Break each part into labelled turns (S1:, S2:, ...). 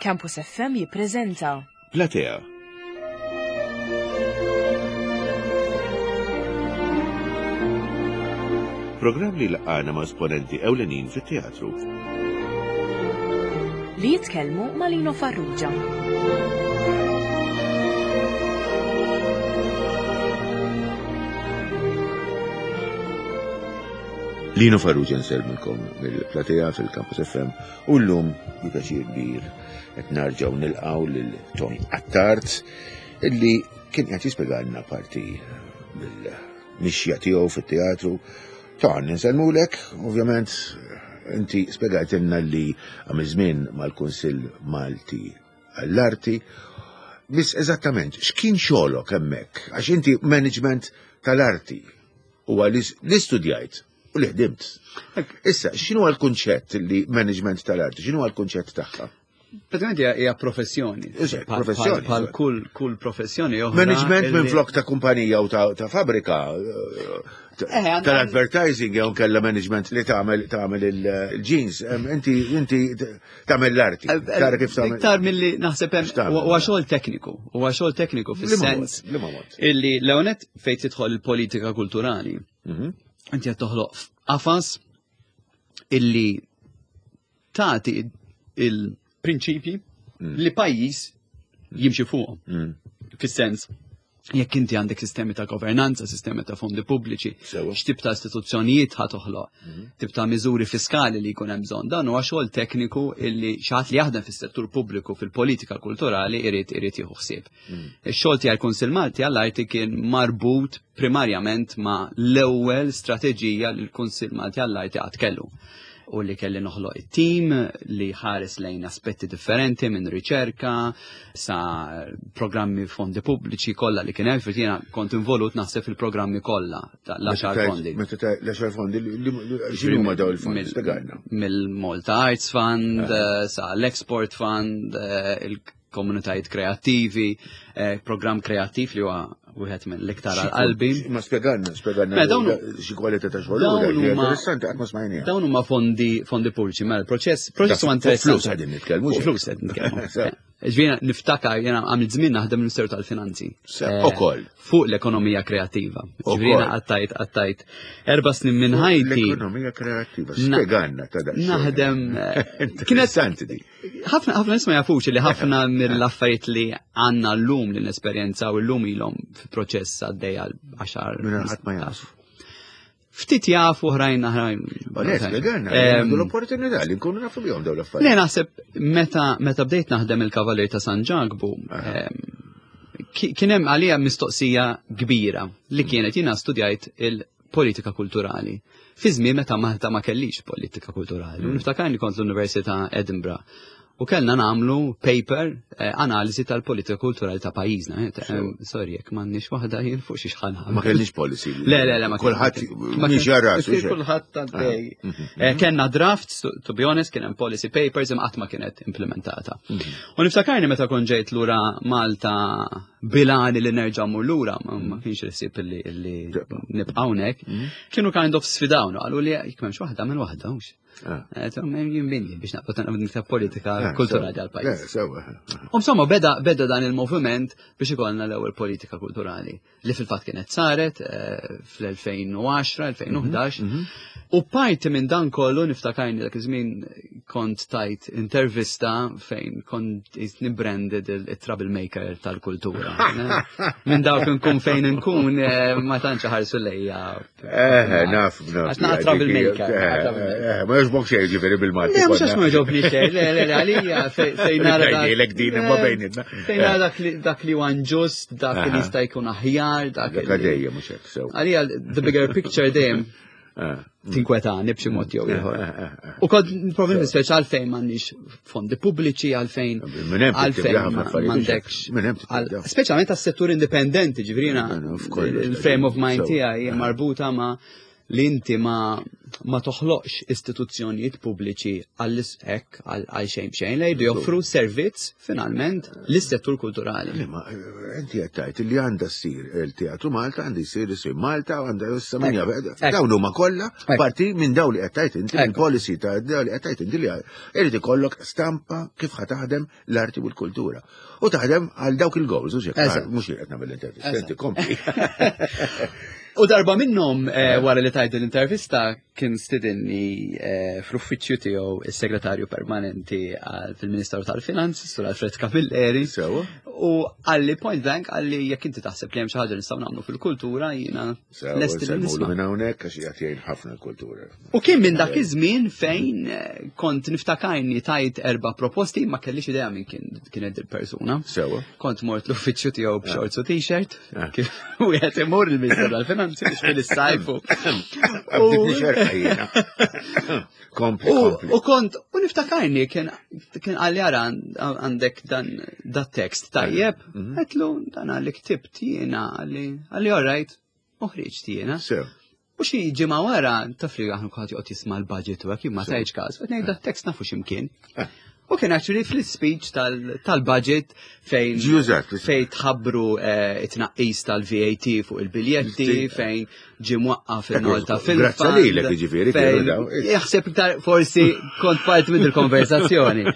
S1: Campus FM jippreżenta
S2: Platea. Programm li laqana ma' esponenti ewlenin fit-teatru.
S1: Li jitkellmu ma' Lino Farrugia.
S2: Lino Farrugia nsellmilkom mill-platea fil-Campus FM u llum bi pjaċir kbir qed narġgħu nilqgħu lil Tony Attard illi kien qed jispjegalna parti mill-mixja tiegħu fit-teatru. Ton, nsellmulek, ovvjament inti spjegajtilna li għamil żmien mal-Kunsill Malti għall-Arti. Biss eżattament, x'kien xogħlok hemmhekk? Għax inti management tal-arti huwa li studjajt u li ħdimt. Issa, x'inhu l-kunċett li management tal-arti, x'inhu l-kunċett tagħha?
S3: Pratikament hija professjoni.
S2: Professjoni.
S3: Bħal kull kull professjoni oħra.
S2: Management minn flok ta' kumpanija u ta' fabrika eh, eh, tal-advertising jew kella management li tagħmel tagħmel il-jeans. Inti inti tagħmel l-arti.
S3: Eh,
S2: Tara kif tagħmel.
S3: Iktar milli naħseb hemm huwa xogħol tekniku, huwa xogħol tekniku fis-sens illi l-ewnet fejn tidħol il-politika kulturali. Mhm. Inti qed toħloq qafas illi tagħti il-prinċipji mm. li pajjiż jimxi fuqhom. Mm. Fis-sens jekk inti għandek sistemi ta' governanza, sistemi ta' fondi pubbliċi, x'tip ta' istituzzjonijiet ħa toħloq, mhm. tip ta' miżuri fiskali li jkun hemm bżonn. Dan huwa xogħol tekniku illi xi ħadd li jaħdem fis-settur pubbliku fil-politika kulturali irid irid jieħu ħsieb. Mm. Ix-xogħol tiegħi Kunsill Malti għall-Arti kien marbut primarjament ma' l-ewwel strateġija li l-Kunsill Malti għall-Arti qatt kellu u li kelli noħloq it-tim li ħares lejn aspetti differenti minn riċerka sa programmi fondi pubbliċi kollha li kien hemm jiena kont involut naħseb fil-programmi kollha l-għaxar fondi.
S2: Meta l-għaxar fondi x'inhu ma daw il-fondi spjegalna.
S3: Mill-Malta Arts Fund eh. Eh, sa l-Export Fund, eh, komunitajiet kreattivi, eh, programm kreattiv li huwa wieħed mill-iktar għal qalbi.
S2: Ma spjegalna, spjegalna xi kwalità ta' xogħol. Interessanti qatt ma smajniha.
S3: Dawn huma fondi fondi pubbliċi, mela l-proċess proċess huwa interessanti.
S2: Flus qegħdin nitkellmu.
S3: Flus qegħdin nitkellmu. Ġvina, niftakar, jena għamil żmien naħdem Ministeru tal-Finanzi.
S2: Eh, ukoll.
S3: Fuq l-ekonomija kreattiva. Ġvina għattajt, għattajt. Erba snin minn ħajti.
S2: L-ekonomija kreattiva, spjegalna ta'
S3: dak. Naħdem.
S2: Eh, Interessanti di.
S3: Ħafna ħafna nies ma jafux li ħafna mill-affarijiet li għandna llum li nesperjenzaw illum ilhom fi proċess għaddej għal għaxar.
S2: Minn ħadd ma jaf.
S3: Ftit jafu oħrajn oħrajn.
S2: Onet, spjegalna, l-opportunità li nkunu nafu bihom dawn l-affarijiet.
S3: Le naħseb meta meta bdejt naħdem il-Kavalier ta' San Ġakbu, kien hemm għalija mistoqsija kbira li kienet jiena studjajt il- politika kulturali. Fi żmien meta Malta ma kellix politika kulturali. Mm. Niftakarni kont l-Università Edinburgh u kellna namlu paper eh, analiżi tal-politika kulturali ta' pajjiżna. Eh, eh, sorry, jekk m'għandniex waħda jien fuq xi xħan.
S2: Ma kellniex policy.
S3: Le, le, le, ma
S2: kulħadd mhix jarras.
S3: Kulħadd għaddej. Ah, mhm, mhm. Kellna draft, to be honest, kien hemm policy papers imma qatt ma kienet implementata. Mhm. U niftakarni meta kont ġejt lura Malta bilani li nerġa' mmur lura, ma mm. kienx il-ħsieb li nibqa' hawnhekk, mm. kienu kind of sfidawna, qalu li jekk m'hemmx waħda minn waħda hux. Ah. Eh, jien binni biex naqbad naqbad niktab politika eh, kulturali għal-pajjiż.
S2: Eh,
S3: u insomma beda beda dan il-moviment biex ikollna l-ewwel politika kulturali li fil-fatt kienet saret fl-2010, 2011. Mhm, mhm. U parti minn dan kollu niftakarni dak iż-żmien kont tajt intervista fejn kont nibranded il-troublemaker tal-kultura. Minn dawk nkun fejn nkun eh, ma tantx ħarsu lejja.
S2: Eh, naf, naf.
S3: Għax naqra troublemaker.
S2: Eh, eh, ma jogħġbok xejn ġifieri bil-Malti.
S3: Le, mhux għax ma jogħġobni xejn, le, le, le, għalija fejn nara.
S2: Ngħidlek din imma bejnietna.
S3: Fejn nara dak li huwa inġust, dak li jista' jkun aħjar, dak
S2: li. Dejjem mhux hekk sew.
S3: Għalija the bigger picture dejjem ah. tinkwetani b'xi mod jew ieħor. Ah, ah, U kod problemi speċi għalfejn m'għandniex fondi pubbliċi għalfejn għalfejn m'għandekx. Speċjalment għas-settur indipendenti, ġifieri il-frame of mind tiegħi marbuta ma' li inti ma. ma toħloqx istituzzjonijiet pubbliċi għall hekk għal xejn b'xejn li jridu joffru servizz finalment lis-settur kulturali.
S2: Ma eh, inti qed tgħid li għandha ssir il-Teatru Malta għandi jsir isir Malta u għandha issa min jaf. Dawn huma kollha parti minn dawn li qed tgħid inti mill-policy ta' dawn li qed tgħid inti li irid ikollok stampa kif ħa taħdem l-arti u l-kultura. U taħdem għal dawk il-goals, u xek, mux li qed nagħmel l-intervista, inti kompli.
S3: U darba minnhom eh, wara li tajt l-intervista kien stidinni eh, fl-uffiċċju tiegħu is-segretarju permanenti fil-Ministeru tal-Finanzi, Sur Alfred Camilleri. U għalli point blank għalli jekk inti taħseb li hemm xi ħaġa nistgħu nagħmlu fil-kultura jiena
S2: lest li nisma'. Minn hawnhekk għax qiegħed jgħin ħafna l-kultura.
S3: U kien minn dak iż-żmien fejn eh, kont niftakarni tajt erba' proposti ma kellix idea minn kien kienet il-persuna.
S2: Sewa.
S3: Kont mort l-uffiċċju tiegħu b'shorts u t-shirt, ah. kif wieħed imur il-Ministru tal-Finanzi biex fil-sajfu.
S2: Kompli, kompli.
S3: U kont, u niftakarni kien kien għalli ara għandek dan dat tekst tajjeb, mhm. għetlu dan għalli ktibt jiena għalli għalli all right, u ħriġt jiena.
S2: Sew.
S3: U xi ġimgħa wara, taf li aħna kulħadd joqgħod jisma' l-budget u hekk, jien ma tajtx każ, qed ngħid dat-tekst nafu x'imkien. Eh. U kien actually fl-speech tal-budget fejn fejn tħabbru eh, it-tnaqqis tal-VAT fuq il-biljetti, fejn ġie mwaqqaf il-Malta fil
S2: Grazzi lilek jiġifieri kienu daw.
S3: Jaħseb iktar forsi kont parti minn il-konversazzjoni.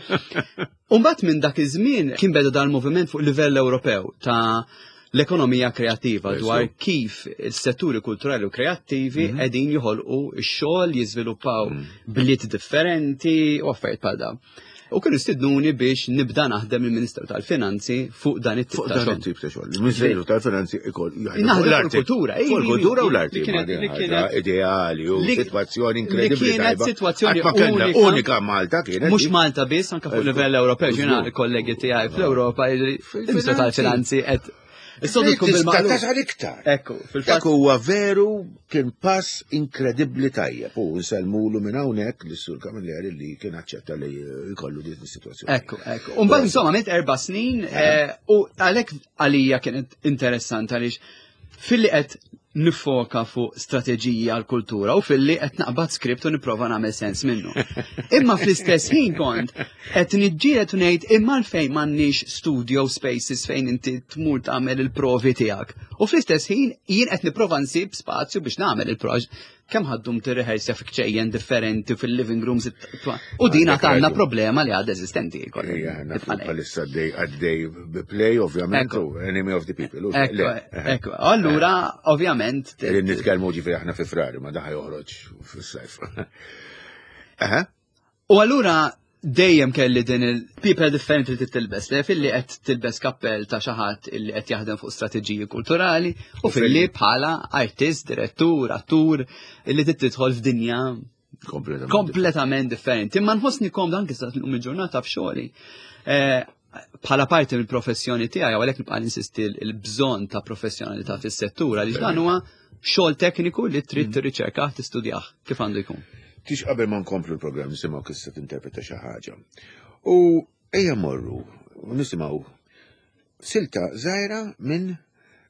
S3: Umbagħad minn dak iż-żmien kien beda dal-moviment fuq livell Ewropew ta' l-ekonomija kreattiva dwar kif il-setturi kulturali u kreattivi mhm. qegħdin joħolqu x-xogħol, jiżviluppaw mhm. bliet differenti u affarijiet bħal dawn. U kienu stidnuni biex nibda naħdem il-Ministru tal-Finanzi fuq dan it-tip ta' xogħol.
S2: tip ta' xogħol. Il-Ministeru tal-Finanzi ikoll
S3: jaħdem fuq l-kultura.
S2: Fuq il-kultura u l-arti. Kienet ideali u sitwazzjoni inkredibbli.
S3: Kienet sitwazzjoni
S2: unika Malta kienet.
S3: Mhux Malta biss, anke fuq livell Ewropew, ġiena kollegi tiegħi fl-Ewropa Il-Ministru tal-Finanzi qed
S2: Is-sodu tkun bil-maqlub. Tasal iktar.
S3: Ekku,
S2: fil-fatt. Dak huwa veru kien pass inkredibbli tajjeb u nsellmulu minn hawnhekk lis-Sur Camilleri li kien aċċetta li jkollu din is-sitwazzjoni.
S3: Ekku, ekku. U mbagħad insomma għamilt erba' snin eh, u għalhekk għalija kienet interessanti għaliex filli qed nifoka fuq strateġiji għal kultura u filli qed naqbad skript u nipprova nagħmel sens minnu. Imma fl-istess ħin kont qed niġġieled u ngħid imma għalfejn m'għandniex studio spaces fejn inti tmur tagħmel il-provi tiegħek. U fl-istess ħin jien qed nipprova nsib spazju biex nagħmel il-proġ kemm ħaddum tirrehersja fi kċejjen differenti fil-living rooms. U din għad għandna problema li għad eżistenti.
S2: Bħalissa għaddej għaddej play, ovvjament, u enemy of the people.
S3: Ekku, allura, ovvjament.
S2: Nitkellmu ġifieri aħna fi frar, ma daħ joħroġ fis-sajf.
S3: U allura dejjem kelli din il-people differenti li tilbes, li filli qed tilbes kappell ta' xi ħadd illi qed jaħdem fuq strateġiji kulturali u filli bħala artist, direttur, attur illi tidħol f'dinja kompletament differenti. Imma nħossni komda anke sa llum il-ġurnata f'xogħli. Eh, bħala parti mill-professjoni tiegħi għalhekk nibqa' ninsisti l-bżonn ta' professjonalità fis-settur għaliex dan huwa xogħol tekniku li trid mm. tirriċerkah tistudjah kif għandu jkun.
S2: Tix qabel ma nkomplu l-programm nisimgħu kif se tinterpreta xi ħaġa. U ejja morru u nisimgħu silta żgħira minn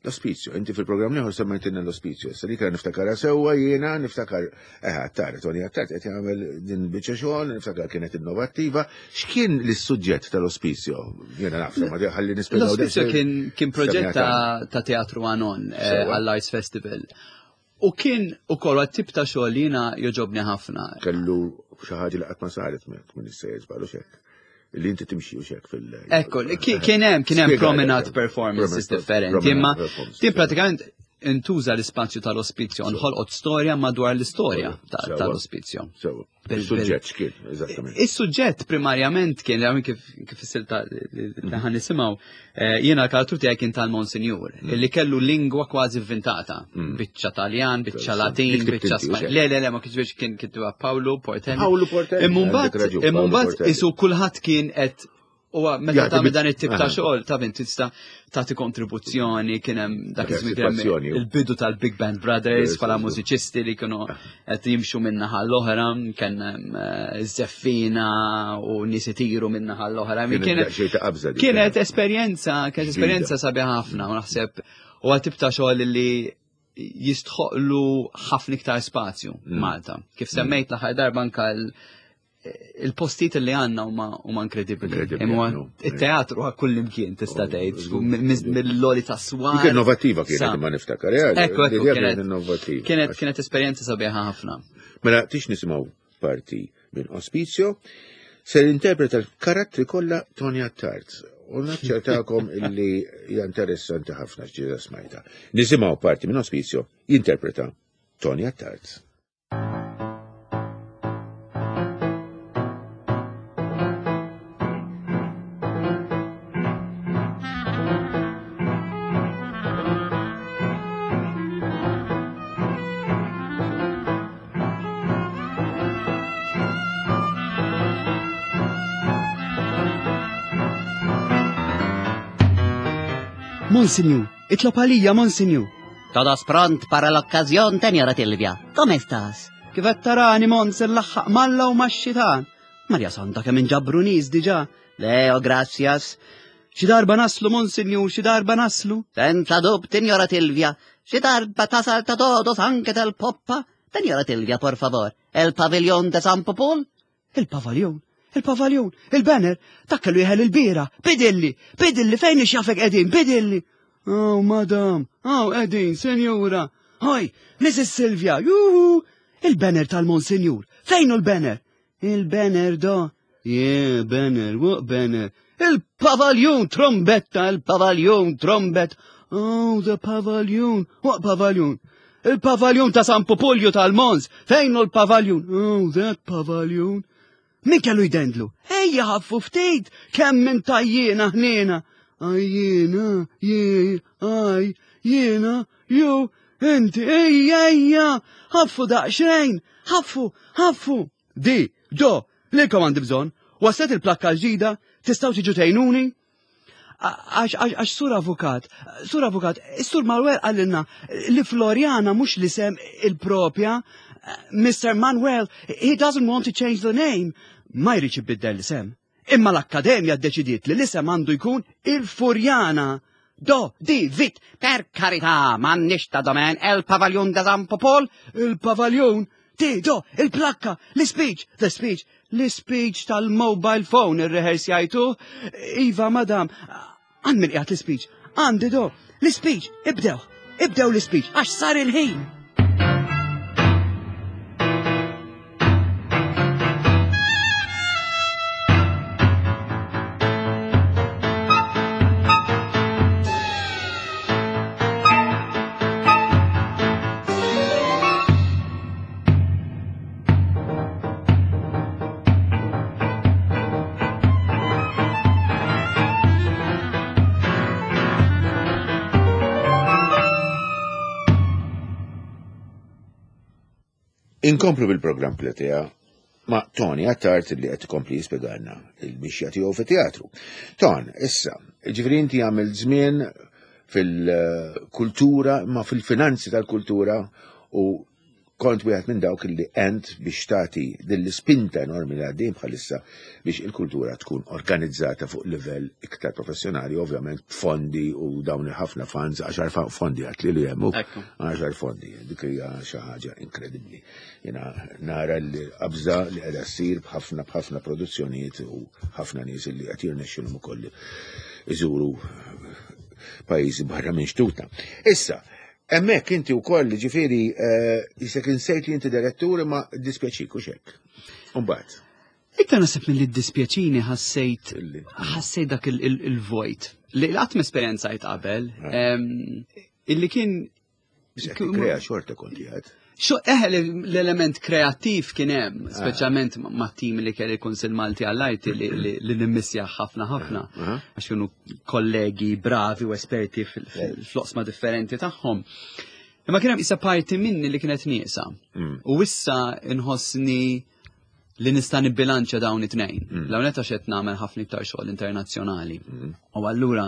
S2: l-ospizju. Inti fil-programm liħor semmejtilna l-ospizju. Issa li kien niftakar sewwa jiena niftakar eh Attard, Tony Attard qed jagħmel din biċċa xogħol, niftakar kienet innovattiva. X'kien l-suġġett tal-ospizju? Jiena naf, ma ħalli nispjegaw.
S3: L-ospizju kien kien proġett ta' teatru Anon eh, għall-Arts Festival. U kien ukoll tip ta' xogħol li jiena joġobni ħafna.
S2: Kellu xi ħaġa li qatt ma saret minn issejjer żballu xek. Li inti timxi u xek fil-
S3: Ekku, kien hemm kien hemm promenade performances differenti, imma din pratikament intuża l-ispazju tal-ospizju, nħolqot storja madwar l-istorja tal-ospizju.
S2: Is-suġġett x'kien, eżattament.
S3: Is-suġġett primarjament kien, għamil kif kif is-silta li ħan nisimgħu, eh, jiena l-karattru tiegħi kien tal-Monsinjur, mm. li kellu lingwa kważi vvintata, mm. biċċa Taljan, biċċa Latin, biċċa Spanjol. Le, le, le, ma kienx kien kittuha Paolo Portelli.
S2: Paolo Portelli.
S3: Imma mbagħad isu kulħadd kien qed U meta tagħmel dan it-tip ta' xogħol ta' bint tista' tagħti kontribuzzjoni kien hemm dak iż-żmien kien hemm il-bidu tal-Big Band Brothers bħala mużiċisti li kienu qed jimxu minn naħa l-oħra, kien hemm eh, żeffina u nies itiru minn naħa l-oħra. Kienet esperjenza, kienet esperjenza sabiħa ħafna u naħseb u tip ta' xogħol li jistħoqlu ħafna iktar spazju mm. Malta. Kif mm. semmejt l-aħħar darba anka il-postijiet li għandna huma huma inkredibbli. Imma it-teatru għal kull imkien tista' oh, tgħid mill-loli ta' swar.
S2: Dik innovattiva kienet ma niftakar. Eh,
S3: ekku, ekku, kienet innovattiva. Kienet kienet esperjenza sabiħa ħafna.
S2: Mela tix nisimgħu parti minn Ospizio, se interpreta l-karattri kollha Tony Attard. U naċċertakom illi hija interessanti ħafna x'ġiela smajta. Nisimgħu parti minn Ospizio jinterpreta Tony Attard.
S3: Monsinjur, itlob għalija, Monsinjur.
S4: Todos pront para l-okkażjon, Tenjora Tilvia. Come estás?
S3: Kif qed tarani Mons il-laħħaq malla u max-xitan. Marja Santa kemm inġabru nies diġà.
S4: Leo, gracias.
S3: Xi darba naslu, Monsinjur, xi darba naslu.
S4: Senza dub, Tinjora Tilvia. Xi darba tasal ta' todos anke tal-poppa. Tinjora Tilvia, por favor. El pavillon de San Popol?
S3: Il-pavaljon, il-pavaljon, il-banner, dak kellu jeħel il-bira, bidilli, bidilli, fejn ixjafek qegħdin, bidilli. Oh, madam, oh, qegħdin, senjura. Hoj, Mrs. Silvia, juhu, il-banner tal-Monsinjur, fejn hu l-banner? Il-banner do. Yeah, banner, what banner? Il-pavaljun trombetta, il-pavaljun trombet. Oh, the pavaljun, what pavaljun? Il-pavaljun ta' San Popolju tal-Mons, fejn hu l-pavaljun? Oh, that pavaljun. Min kellu jdendlu? Ejja ħaffu ftit, kemm minn tajjiena ħniena. Ajjiena, jie, aj, jiena, ju, inti, ejja, ejja, ħaffu daqsxejn, ħaffu, ħaffu. Di, do, lilkom għandi bżonn, waslet il-plakka l-ġdida, tistgħu tiġu tgħinuni? Għax sur avukat, sur avukat, sur Manuel għallinna li Floriana mhux l-isem il-propja, Mr. Manuel, he doesn't want to change the name. Ma jridx ibiddel l-isem. Imma l-Akkademja ddeċidiet li l-isem għandu jkun il-Furjana.
S4: Do, di, vit, per karità, m'għandniex ta' domen, el pavaljun de San Popol?
S3: Il-pavaljun? Di, do, il-plakka, l-speech, the speech, l-speech tal-mobile phone irrehersjajtu. Iva, madam, għand min qiegħed l-speech, għandi do, l-speech, ibdew, ibdew l-speech, għax sar il-ħin.
S2: Inkomplu bil-programm Pletea ma' Tony Attard li qed ikompli jispjegalna il-mixja tiegħu fit-teatru. Ton, issa, ġifieri inti għamil żmien fil-kultura, ma fil-finanzi tal-kultura u kont wieħed minn dawk li għent biex tagħti din l-ispinta enormi li għaddejn bħalissa biex il-kultura tkun organizzata fuq livell iktar professjonali, ovvjament fondi u dawn il-ħafna funds, għaxar fondi għat li li jemmu, għaxar fondi, dik hija xi ħaġa inkredibbli. Jena nara l-qabża li qiegħda ssir b'ħafna b'ħafna produzzjonijiet u ħafna nies li qed jirnexxilhom ukoll iżuru pajjiżi barra minn xtutna. Issa, Hemmhekk inti wkoll ġifieri eh, jisek insejt li inti direttur imma dispjaċik u xek. Umbagħad.
S3: Iktar nasib mill-li dispjaċini ħassejt ħassejt dak il-vojt li qatt m'esperjenzajt qabel eh. illi kien
S2: Krea xorta konti għad.
S3: Xo eħe l-element kreattiv kien hemm, ah. speċjalment ma' tim li kelli Kunsill Malti għall-Arti li nimmissja ħafna ħafna, ah. għax kienu kollegi bravi u esperti fl-oqsma differenti tagħhom. Imma kien hemm issa parti minni li kienet nieqsa. Mm. U issa inħossni li nista' nibbilanċja dawn it-tnejn. Mm. L-hawn għax qed nagħmel ħafna iktar xogħol internazzjonali. Mm. U allura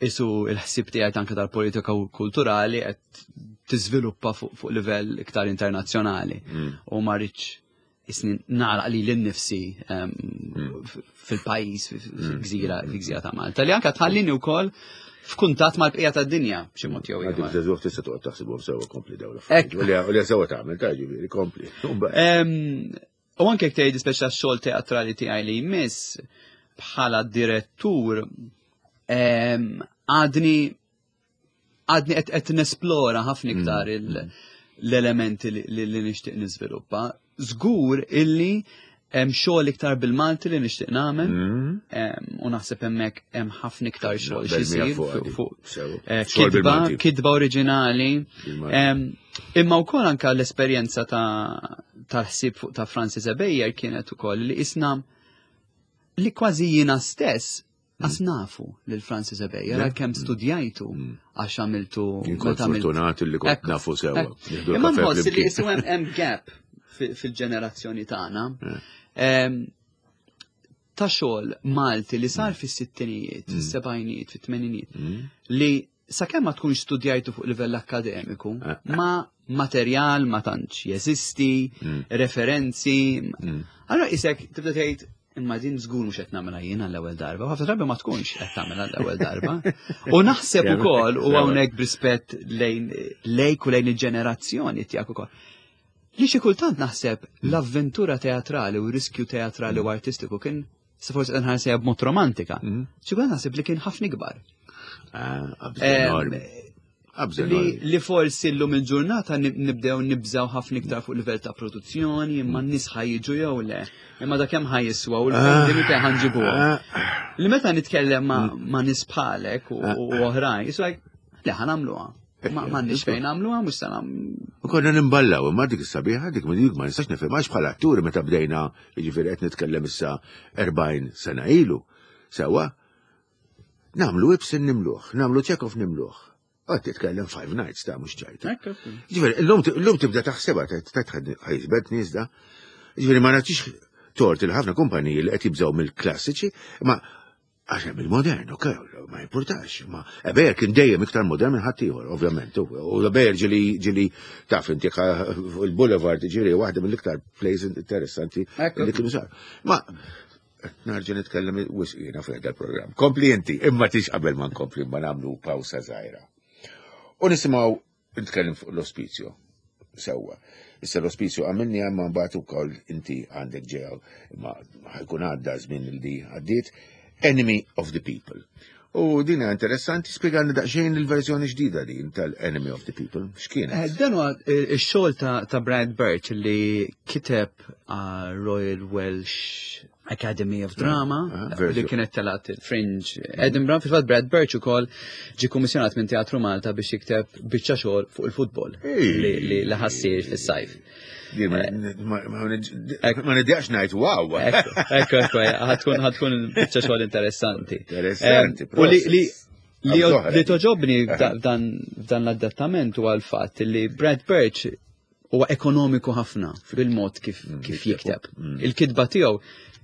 S3: isu il-ħsieb tiegħi anke tal-politika kulturali qed tiżviluppa fuq livell iktar internazzjonali. Mm. U ma rridx isni nagħlaq li l-nifsi fil-pajjiż, fil-gżira, fil-gżira ta' Malta, li anka tħallini wkoll f'kuntatt mal-bqija tad-dinja b'xi mod jew
S2: ieħor. Għadek żagħżugħ tista' toqgħod taħsibhom sewwa kompli dawn l-affarijiet. U li sewwa tagħmel ta' ġifieri kompli.
S3: U anke jekk tgħid speċa x-xogħol teatrali tiegħi li jmiss bħala direttur għadni għadni qed nesplora ħafna mm. iktar l-elementi li nixtieq niżviluppa. Żgur illi hemm xogħol iktar bil-Malti li nixtieq nagħmel mm. u naħseb hemmhekk hemm ħafna iktar xogħol xi jsir fuq eh, kitba kitba oriġinali. Imma wkoll anke l-esperjenza tal-ħsieb fuq ta' Francis Ebejer kienet ukoll li isna li kważi jiena stess Għas mm. nafu lil Francis Ebejer, għalkemm mm. studjajtu mm. għax għamiltu.
S2: Kont fortunat li kont nafu sewa.
S3: Imma nħoss li jisu hemm gap fil-ġenerazzjoni tagħna. Eh. Ta' xogħol Malti li sar fis-sittinijiet, fis-sebgħinijiet, fit-tmeninijiet, li sakemm ma tkunx studjajtu fuq livell akkademiku, eh. ma materjal ma tantx jeżisti, mm. referenzi. Mm. Allora isek tibda tgħid imma din żgur mhux qed nagħmilha jien għall-ewwel darba, ħafna drabi ma tkunx qed tagħmilha għall-ewwel darba. U naħseb ukoll u hawnhekk b'rispett lejn lejk u lejn il-ġenerazzjoni tiegħek ukoll. Li xi kultant naħseb l-avventura teatrali u riskju teatrali u artistiku kien Se forsi qed nħarsejha b'mod romantika. Mhm. Xi kultant naħseb li kien ħafna ikbar.
S2: Ah,
S3: li forsi llum il-ġurnata nibdew nibżaw ħafna iktar fuq livell ta' produzzjoni, imma mm. n-nies ħajġu jew le. Imma da kemm ħajjiswa u l-fondi ah. fejn ħanġibuhom. Ah. Li meta nitkellem ma' mm. nies bħalek u ah. oħrajn, it's like, le ħanamluha. Ma m'għandniex fejn nagħmluha mhux se
S2: U konna nimballaw, imma dik is-sabiħa dik dik ma nistax nifhem għax bħala atturi meta bdejna, jiġifieri qed nitkellem issa 40 sena ilu. Sewwa, nagħmlu Ibsen nimluh, nagħmlu Chekhov nimluh. Għad titkellem Five Nights ta' mhux ċajta. Ġifieri, illum tibda taħsebha ħajsbet nies da. Ġifieri ma nagħtix tort il ħafna kumpaniji li qed jibżgħu mill-klassiċi, ma Għax hemm il-modern, ok, ma jimpurtax, ma Ebejer kien dejjem iktar modern minn ħaddieħor, ovvjament. U Ebejer ġili ġili taf inti il-Boulevard ġili waħda mill-iktar plays interessanti li kienu sar. Ma narġa' nitkellem wisq jiena fuq il-programm. Kompli inti, imma tix qabel ma nkompli ma nagħmlu pawsa żgħira. U nisimgħu Nitkellem fuq l-ospizju. Sewwa. Issa l-ospizju għamilni għamma mbagħad ukoll inti għandek ġew ma ħajkun għadda żmien li għaddiet Enemy of the People. U din hija interessanti, spjegani daqsxejn il-verżjoni ġdida din tal-Enemy of the People. X'kienet?
S3: Eh, dan huwa eh, ix-xogħol ta' Brad Birch li kiteb Royal Welsh Academy of Drama ah, ah, li kienet telat il-Fringe Edinburgh. Fil-fatt Brad Birch ukoll ġie kummissjonat minn Teatru Malta biex jikteb biċċa xogħol fuq il-futbol li ħassir fis-sajf.
S2: Ma nidjax ngħid wow.
S3: Ekku, ekku, ħatkun ħatkun biċċa xogħol interessanti.
S2: Interessanti.
S3: U li li toġobni f'dan l-adattament huwa l-fatt li Brad Birch huwa ekonomiku ħafna bil-mod kif, mm, kif jikteb. Mm. Il-kitba tiegħu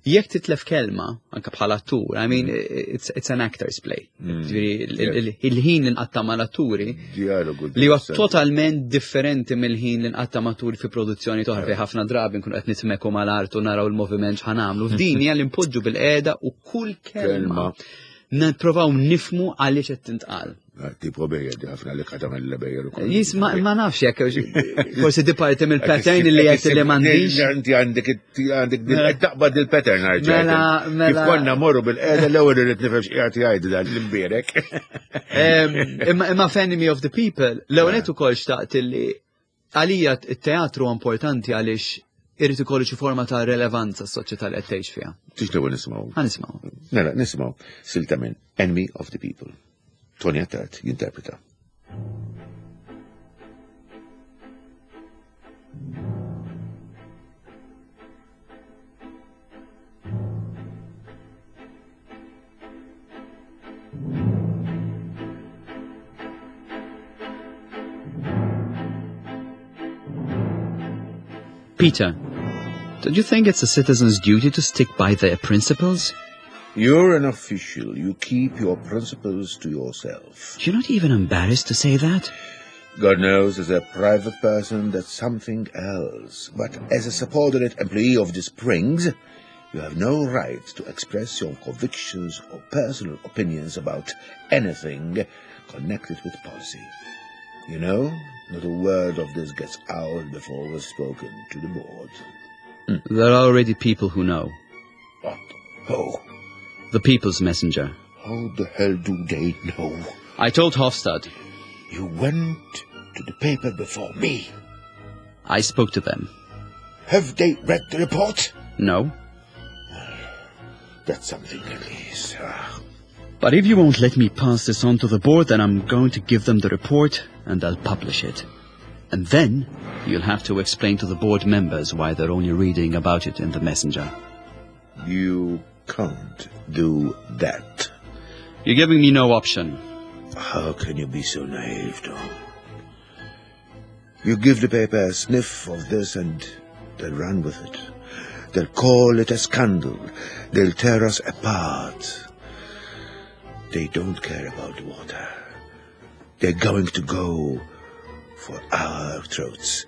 S3: jekk titlef kelma, anka bħala attur, I mean, mm. it's, it's an actor's play. Il-ħin li nqatta mal-atturi li huwa totalment differenti mill-ħin li nqatta maturi fi produzzjoni toħra fejn ħafna drabi nkunu qed nitmeku mal-art u naraw il-moviment x'ħan nagħmlu. F'din hija li npoġġu bil-qiegħda u kull kelma nipprovaw nifmu għaliex qed tintqal.
S2: Ah, tipo bejjer, di ħafna li kata mill bejjer
S3: ukoll. Jis, ma nafx jekk forsi di parti mill-pattern li qed li m'għandix.
S2: Inti għandek għandek mela. taqbad il-pattern għarġa. Mela, mela. Kif konna morru bil-qeda l-ewwel irid nifhem x'qiegħed jgħid dan l-imbierek.
S3: Imma Enemy of the People, l-ewwel qed ukoll xtaqt li Għalija t-teatru importanti għaliex irid ikollu xi forma ta' relevanza s-soċjetà li qed tgħix fiha.
S2: Tixtiequ nisimgħu?
S3: Ħa nisimgħu.
S2: Mela, nisimgħu silta minn Enemy of the People. Tony Attard jinterpreta.
S3: Peter, don't you think it's a citizen's duty to stick by their principles?
S2: You're an official. You keep your principles to yourself.
S3: You're not even embarrassed to say that?
S2: God knows, as a private person, that's something else. But as a subordinate employee of the Springs, you have no right to express your convictions or personal opinions about anything connected with policy. You know, not a word of this gets out before we've spoken to the board.
S3: There are already people who know.
S2: What? Who?
S3: The People's Messenger.
S2: How the hell do they know?
S3: I told Hofstad.
S2: You went to the paper before me.
S3: I spoke to them.
S2: Have they read the report?
S3: No.
S2: That's something at least. Ah.
S3: But if you won't let me pass this on to the board, then I'm going to give them the report and they'll publish it. And then you'll have to explain to the board members why they're only reading about it in the messenger.
S2: You can't do that.
S3: You're giving me no option.
S2: How can you be so naive, Tom? You give the paper a sniff of this and they'll run with it. They'll call it a scandal. They'll tear us apart. They don't care about the water. They're going to go for our throats.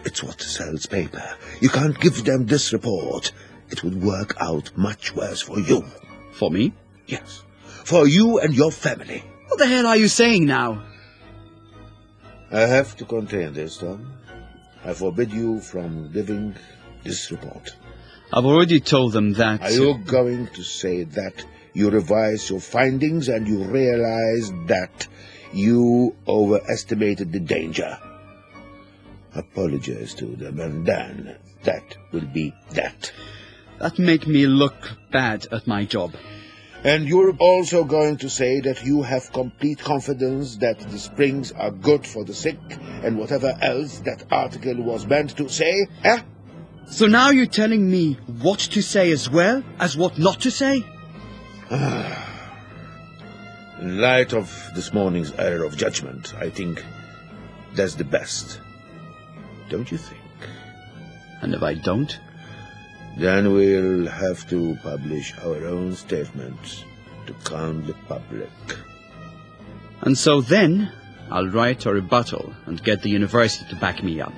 S2: It's what sells paper. You can't give them this report. It would work out much worse for you.
S3: For me?
S2: Yes. For you and your family.
S3: What the hell are you saying now?
S2: I have to contain this, Tom. I forbid you from giving this report.
S3: I've already told them that.
S2: Are you going to say that you revise your findings and you realize that you overestimated the danger? Apologize to them, and then that will be that.
S3: That make me look bad at my job.
S2: And you're also going to say that you have complete confidence that the springs are good for the sick and whatever else that article was meant to say, eh?
S3: So now you're telling me what to say as well as what not to say?
S2: In light of this morning's error of judgment, I think that's the best. Don't you think?
S3: And if I don't?
S2: Then we'll have to publish our own statement to calm the public.
S3: And so then, I'll write a rebuttal and get the university to back me up.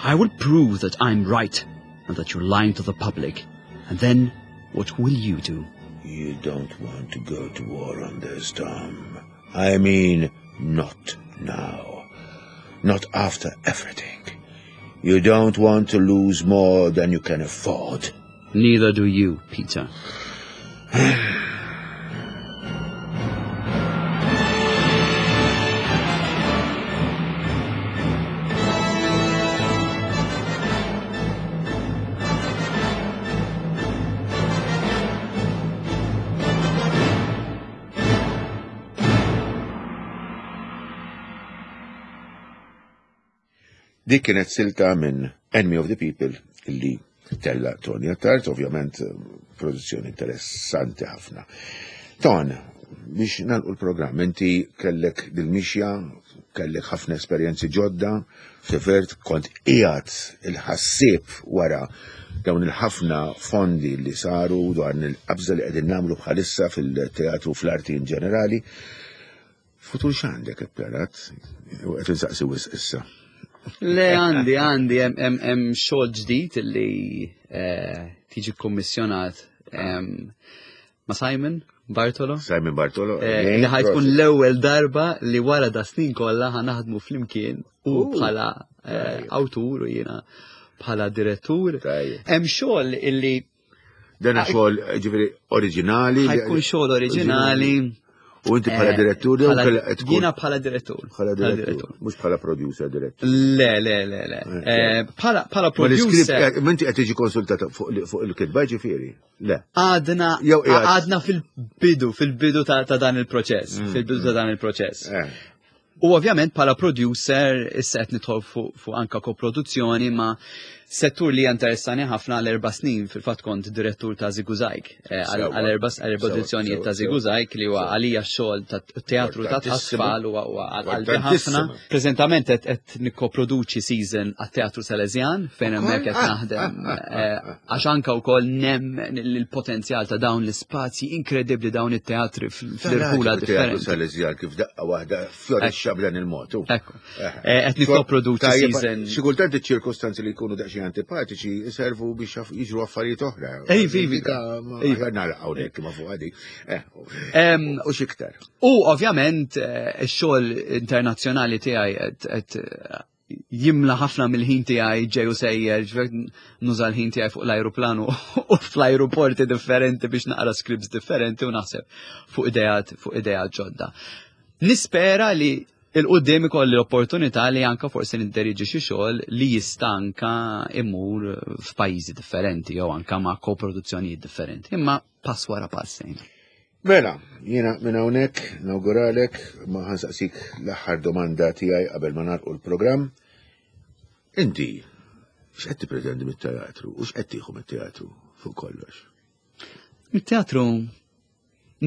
S3: I will prove that I'm right and that you're lying to the public. And then, what will you do?
S2: You don't want to go to war on this, Tom. I mean, not now. Not after everything. You don't want to lose more than you can afford.
S3: Neither do you, Peter.
S2: Dik kienet silta minn Enemy of the People illi tella Tony Attard, ovvjament eh, produzzjoni interessanti ħafna. Ton, biex nalqu l-programm, inti kellek dil-mixja, kellek ħafna esperjenzi ġodda, f'tifert kont qiegħed il-ħassieb wara dawn il-ħafna fondi li saru dwar il-qabża li qegħdin nagħmlu bħalissa fil-teatru fl-arti in ġenerali. Futur x'għandek ippjanat? U qed insaqsi wisq issa.
S3: Le għandi għandi hemm xogħol ġdid li eh, tiġi kommissjonat ma' Simon Bartolo.
S2: Simon Bartolo.
S3: Eh, li ħajtkun l-ewwel darba li wara da snin kollha ħanaħdmu flimkien u bħala eh, awtur u jiena bħala direttur. Hemm xogħol illi
S2: Dan ah, xogħol ġifieri oriġinali.
S3: Ħajkun xogħol oriġinali.
S2: U inti bħala eh, direttur jew
S3: Jiena bħala direttur.
S2: Bħala direttur. Mhux bħala producer direttur.
S3: Le, le, le, le. Eh, eh, bħala producer.
S2: Inti qed tiġi konsultata fuq il-kitba ġifieri. Le.
S3: Għadna għadna fil-bidu, fil-bidu ta' dan il-proċess, mm, fil-bidu ta' mm. dan il-proċess. U ovvjament bħala producer issa qed nidħol fuq anka koproduzzjoni ma' settur li interessani ħafna għal erba' snin fil-fatt kont direttur ta' Ziguzajk eh, għal erba' produzzjonijiet ta' Ziguzajk li huwa għalija xogħol ta' teatru ta' tfal u għal ħafna. Preżentament qed nikkoproduċi season għat-Teatru Salesian fejn hemmhekk qed ah, naħdem ah, ah, eh, għax anka wkoll nemmen il-potenzjal ta' dawn l-ispazji inkredibbli dawn it-teatri fl-irħula differenti.
S2: Teatru Salesian kif daqqa waħda fjorixxa. Tispiċċa b'dan il-mod.
S3: Ekku. Eh, eh, qed nikkoproduċi season.
S2: Xi kultant iċ-ċirkostanzi li jkunu daqsxejn antipatiċi jservu biex jiġru affarijiet oħra.
S3: Ej, vivi.
S2: Iva nagħlaq hawnhekk ma fuq għadi. Eh, u xiktar.
S3: U ovvjament ix-xogħol internazzjonali tiegħi qed jimla ħafna mill-ħin tiegħi ġej u sejjer, ġifier nuża l-ħin tiegħi fuq l-ajruplan u fl-ajruporti differenti biex naqra scripts differenti u naħseb fuq ideat fuq ideat ġodda. Nispera li il-qudiem ikolli l-opportunità li anka forsi nidderiġi xi xogħol li jista' anka imur f'pajjiżi differenti jew anka ma' koproduzzjonijiet differenti. Imma pass wara pass sejn.
S2: Mela, jiena minn hawnhekk nawguralek ma ħansaqsik l-aħħar domanda tiegħi qabel ma nagħlqu l-programm. Inti x'qed tippretendi mit-teatru u x'qed tieħu mit-teatru fuq kollox?
S3: Mit-teatru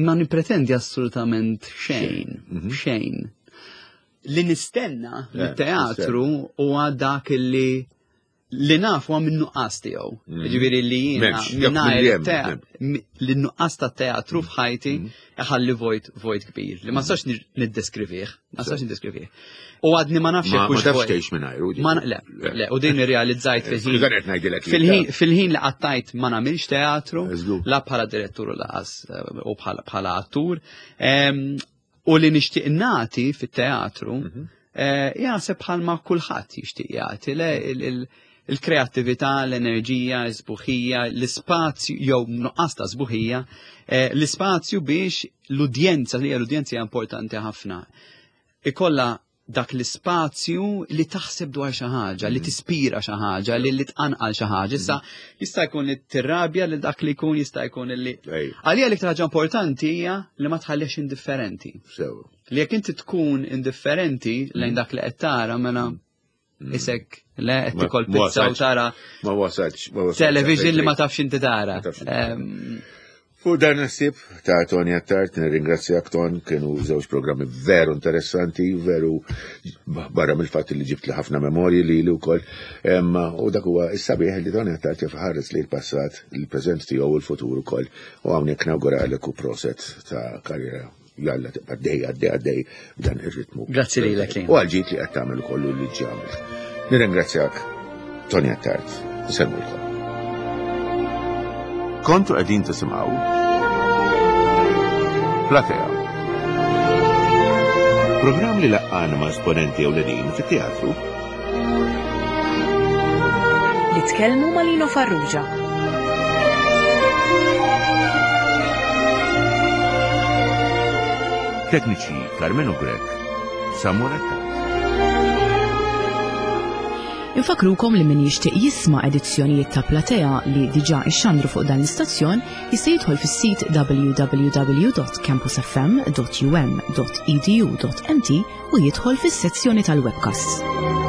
S3: ma nippretendi assolutament xejn, mhm. xejn. Li nistenna eh, mit-teatru huwa dak li li naf huwa minn nuqqas tiegħu. Mm. Ġifieri li jiena mingħajr li nuqqas ta' teatru mm. f'ħajti mm. iħalli vojt vojt kbir li ma nistax niddeskrivih, ma nistax niddeskrivih. U għadni ma nafx
S2: jekk hux. Ma tafx tgħix mingħajru.
S3: Ma le, le, u din irrealizzajt fil-ħin. Fil-ħin li qattajt ma nagħmilx teatru, la bħala direttur u laqas eh, u bħala attur. U li nixtieq nagħti fit-teatru, mhm. eh, jaħseb bħalma kulħadd jixtieq jagħti le il-kreattività, l-enerġija, l-sbuħija, l-ispazju jew nuqqas ta' sbuħija, eh, l-ispazju biex l-udjenza, li l-udjenza hija importanti ħafna, ikolla dak l-ispazju li taħseb dwar xi ħaġa, li mm. tispira xi ħaġa, li li tqanqal xi ħaġa. Issa mm. jista' jkun li tirrabja li dak li jkun jista' jkun li. Għalija l-iktar ħaġa importanti hija li ma tħallix indifferenti. Li jekk inti tkun indifferenti lejn mm. dak li qed tara mela isek le qed tikol pizza u tara.
S2: Ma wasalx.
S3: Television li ma tafx inti tara.
S2: Fuq dan il-ħsieb ta' Tony Attard, nirringrazzjak Ton, kienu żewġ programmi veru interessanti, veru barra mill-fatt li ġibt li ħafna memorji li li wkoll. U dak huwa s-sabiħ li Tony Attard jaf ħares li l-passat, il-preżent tiegħu u l-futur ukoll. U hawnhekk nawguralek u proset ta' karriera jalla tibqa' dej għaddej għaddej b'dan ir-ritmu.
S3: Grazzi lilek
S2: li. U għal-ġid li qed tagħmel kollu li ġamil. Nirringrazzjak Tony Attard. Nsellmulkom. Kontu qegħdin tisimgħu Platea. Programm li laqqana ma' esponenti ewlenin fit-teatru
S1: Li tkellmu ma' Lino Farrugia.
S2: Tekniċi Carmenu Grech, Samuel Attard.
S1: Infakrukom li min jixtieq jisma' edizzjonijiet ta' Platea li diġà ixxandru fuq dan l-istazzjon jista' jidħol fis-sit www.campusfm.um.edu.mt u jidħol fis-sezzjoni tal-webcasts.